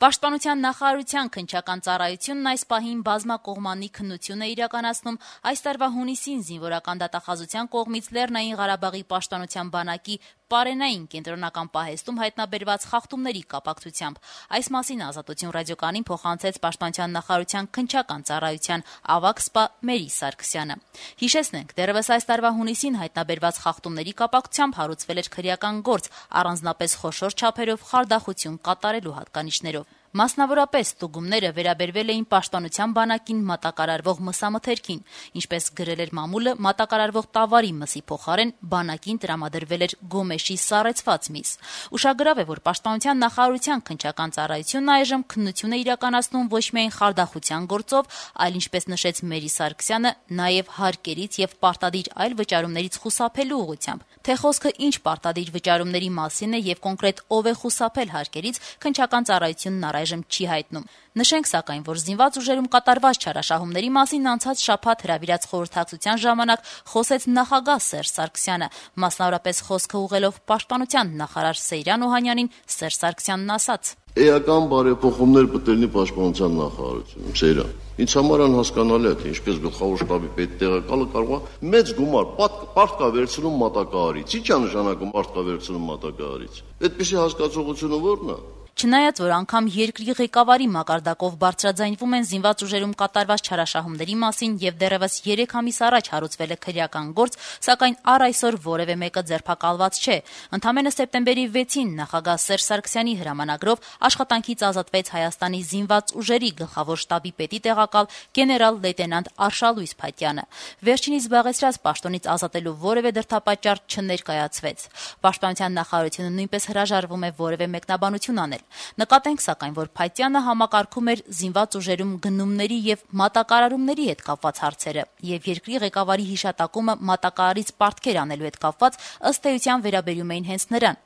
Պաշտպանության նախարարության քննչական ծառայությունն այս պահին բազմակողմանի քննություն է իրականացնում այս տարվա հունիսին զինվորական դատախազության կողմից Լեռնային Ղարաբաղի պաշտպանության բանակի Պարենային կենտրոնական պահեստում հայտնաբերված խախտումների կապակցությամբ։ Այս մասին Ազատություն ռադիոկայանին փոխանցեց Պաշտպանության նախարարության քննչական ծառայության ավագ սպա Մերի Սարգսյանը։ Հիշեցնենք, դեռևս այս տարվա հունիսին հայտնաբերված խախտումների կապակցությամբ հարուցվել էր քրեական գործ, առանձնապես խոշոր չափերով խարդախություն կատարելու հատկանիշներով։ Մասնավորապես ստուգումները վերաբերվել էին պաշտպանության բանակին մատակարարվող մսամթերքին, ինչպես գրել էր մամուլը, մատակարարվող տավարի մսի փոխարեն բանակին տրամադրվել էր գոմեշի սառեցված միս։ Ուշագրավ է, որ պաշտպանության նախարարության քննչական ծառայությունն այժմ քննություն է իրականացնում ոչ միայն խարդախության գործով, այլ ինչպես նշեց Մերի Սարգսյանը, նաև հարկերից եւ պարտադիր այլ վճարումներից խուսափելու ուղղությամբ։ Թե խոսքը ինչ պարտադիր վճարումների մասին է եւ կոնկրետ ով է խուսափել հարկերից, քննչական ծառայությունն այժմ չի հայտնում։ Նշենք սակայն, որ զինված ուժերում կատարված չարաշահումների մասին անցած շաբաթ հրավիրած խորհրդակցության ժամանակ խոսեց նախագահ Սերժ Սարգսյանը, մասնավորապես խոսքը ուղղելով պաշտպանության նախարար Սեյրան Օհանյանին, Սերժ Սարգսյանն ասաց. Էական բարեփոխումներ պետք է պաշտպանության նախարարությունում, Սեյրան։ Ինձ համար անհասկանալի է, թե ինչպես գլխավոր շտաբի պետ տեղակալը կարող է մեծ գումար պարտքա վերցնում մատակարարից։ Ի՞նչ է նշանակում պարտքա վերցնում մատակարարից։ Այդպիսի հասկացողությունը ո՞րն է։ Չնայած որ անգամ երկրի ղեկավարի մակարդակով բարձրաձայնվում են զինված ուժերում կատարված չարաշահումների մասին եւ դեռևս 3 ամիս առաջ հարուցվել է քրեական գործ, սակայն առ այսօր որևէ մեկը ձերբակալված չէ։ Ընդամենը սեպտեմբերի 6-ին նախագահ Սերժ Սարգսյանի հրամանագրով աշխատանքից ազատվեց Հայաստանի զինված ուժերի գլխավոր շտաբի պետի տեղակալ գեներալ լեյտենանտ Արշալույս Փաթյանը։ Վերջինիս զբաղեցրած պաշտոնից ազատելու որևէ դրդապատճառ չներկայացվեց։ Պաշտպանության նախարարությունը նույնպես հրաժարվում է որևէ մեկնաբանություն անել։ Նկատենք սակայն, որ Փաթյանը համակարգում էր զինված ուժերում գնումների եւ մատակարարումների հետ կապված հարցերը եւ երկրի ղեկավարի հիշատակումը մատակարարից պարտքեր անելու հետ կապված ըստ էության վերաբերում էին հենց նրան։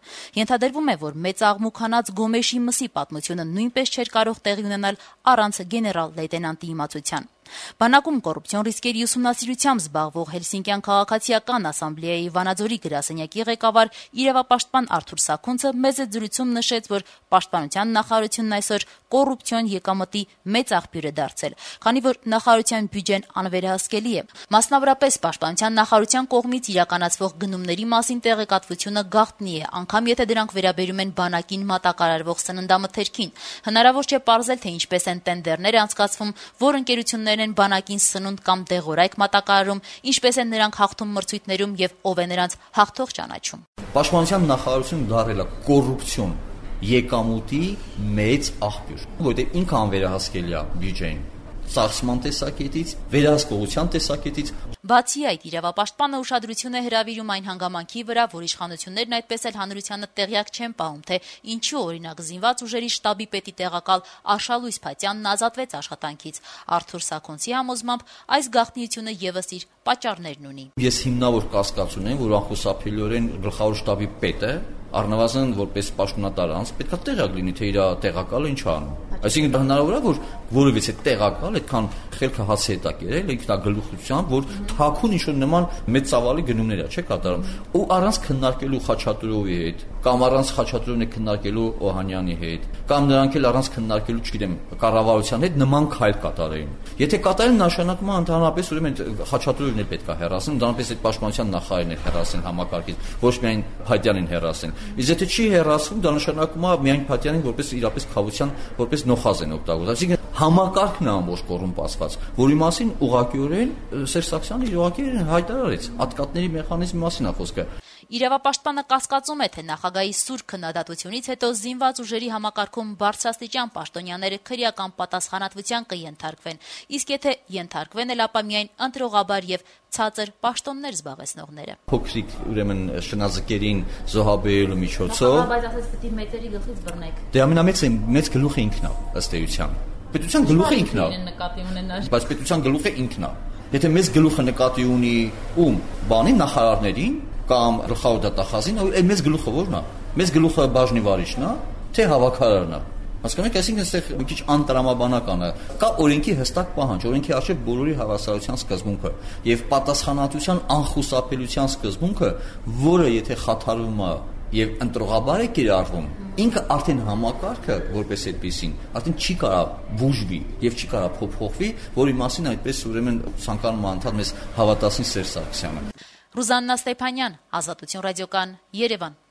Ենթադրվում է, որ մեծ աղմուկ հանած Գոմեշի մսի պատմությունը նույնպես չէր կարող տեղի ունենալ առանց գեներալ լեյտենանտի իմացության։ Բանակում կոռուպցիոն ռիսկերի ուսումնասիրությամբ զբաղվող Հելսինկյան քաղաքացիական ասամբլեայի Վանաձորի գրասենյակի ղեկավար իրավապաշտպան Արթուր Սաքունցը մեծ զրույցում նշեց, որ պաշտպանության նախարարությունն այսօր կոռուպցիոն եկամտի մեծ աղբյուր է դարձել, քանի որ նախարարության բյուջեն անվերահսկելի է։ Մասնավորապես պաշտպանության նախարարության կողմից իրականացվող գնումների մասին տեղեկատվությունը գաղտնի է, անգամ եթե դրանք վերաբերում են բանակին մատակարարվող սննդամթերքին։ Հնարավոր չէ պարզել, թե ինչպես են տենդերները անցկացվում, որ ընկերություններ են բանակին սնունդ կամ դեղորայք մատակարարում, ինչպես են նրանք հաղթում մրցույթներում եւ ով է նրանց հաղթող ճանաչում։ Պաշտպանության նախարարությունը դարձել է կոռուպցիոն եկամուտի մեծ աղբյուր, որտեղ ինքը անվերահսկելի է բյուջեն ծախսման տեսակետից, վերահսկողության տեսակետից։ Բացի այդ, իրավապաշտպանը ուշադրություն է հրավիրում այն հանգամանքի վրա, որ իշխանություններն այդպես էլ հանրությանը տեղյակ չեն պահում, թե ինչու օրինակ զինված ուժերի շտաբի պետի տեղակալ Արշալույս Փաթյանն ազատվեց աշխատանքից։ Արթուր Սաքունցի համոզմամբ այս գաղտնիությունը եւս իր պատճառներն ունի։ Ես հիմնավոր կասկած ունեմ, որ անխուսափելիորեն գլխավոր շտաբի պետը առնվազն որպես պաշտոնատար անձ պետք է տեղյակ լինի, թե իր տեղակալը ինչ անում։ Այսինքն հնարավոր է, որ որևիցե տեղակալ այդքան խելքը հացի հետ կերել, ինքնագլուխությամբ, որ թաքուն ինչ-որ նման մեծ ծավալի գնումներ է, չէ՞ կատարում։ Ու առանց քննարկելու Խաչատուրովի հետ, կամ առանց Խաչատուրովի քննարկելու Օհանյանի հետ, կամ նրանք էլ առանց քննարկելու, չգիտեմ, կառավարության հետ նման քայլ կատարեին։ Եթե կատարեն, նշանակում է ընդհանրապես ուրեմն Խաչատուրովին էլ պետք է հեռացնել, ընդհանրապես այդ պաշտպանության նախարարին էլ հեռացնել համակարգից, ոչ միայն Փաթյանին հեռացնել։ Իսկ եթե չի հեռացվում, դա նշանակում է միայն Փաթյանին որպես իրապես խավության, որպես նոխազ են օգտագործում։ Այսինքն համակարգն է ամբողջ կոռումպացված, որի մասին ուղղակիորեն Սերժ Սարգսյանը ուղղակիորեն հայտարարեց, ատկատների մեխանիզմի մասին է խոսքը։ Իրավապաշտպանը կասկածում է, թե նախագահի սուր քննադատությունից հետո զինված ուժերի համակարգում բարձրաստիճան պաշտոնյաները քրեական պատասխանատվության կենթարկվեն, իսկ եթե ենթարկվեն էլ, ապա միայն ընտրողաբար եւ ցածր պաշտոններ զբաղեցնողները։ Փոքրիկ ուրեմն շնաձկերին զոհաբերելու միջոցով, բայց ասես պետք է մեծերի գլխից բռնեք։ Դե ամենամեծ գլուխը ինքն է, ըստ էության։ Պետության գլուխը ինքն է։ Բայց պետության գլուխը ինքն է։ Եթե մեծ գլուխը նկատի ունի ում, բանի նախարարներին կամ գլխավոր դատախազին, այլ մեծ գլուխը ո՞րն է։ Մեծ գլուխը բաժնի վարիչն է, թե հավաքարարն է։ Հասկանու եք, այսինքն այստեղ մի քիչ անտրամաբանական է։ Կա օրենքի հստակ պահանջ, օրենքի արժե բոլորի հավասարության սկզբունքը եւ պատասխանատվության անխուսափելիության սկզբունքը, որը եթե խաթարվում է եւ ընտրողաբար է կիրառվում, ինքը արդեն համակարգը որպես այդպեսին արդեն չի կարող բուժվի եւ չի կարող փոփոխվի, որի մասին այդպես ուրեմն ցանկանում անդամ մեզ հավատացնի Սերժ Սարգսյանը։ Ռուզաննա Ստեփանյան, Ազատություն ռադիոկան, Երևան։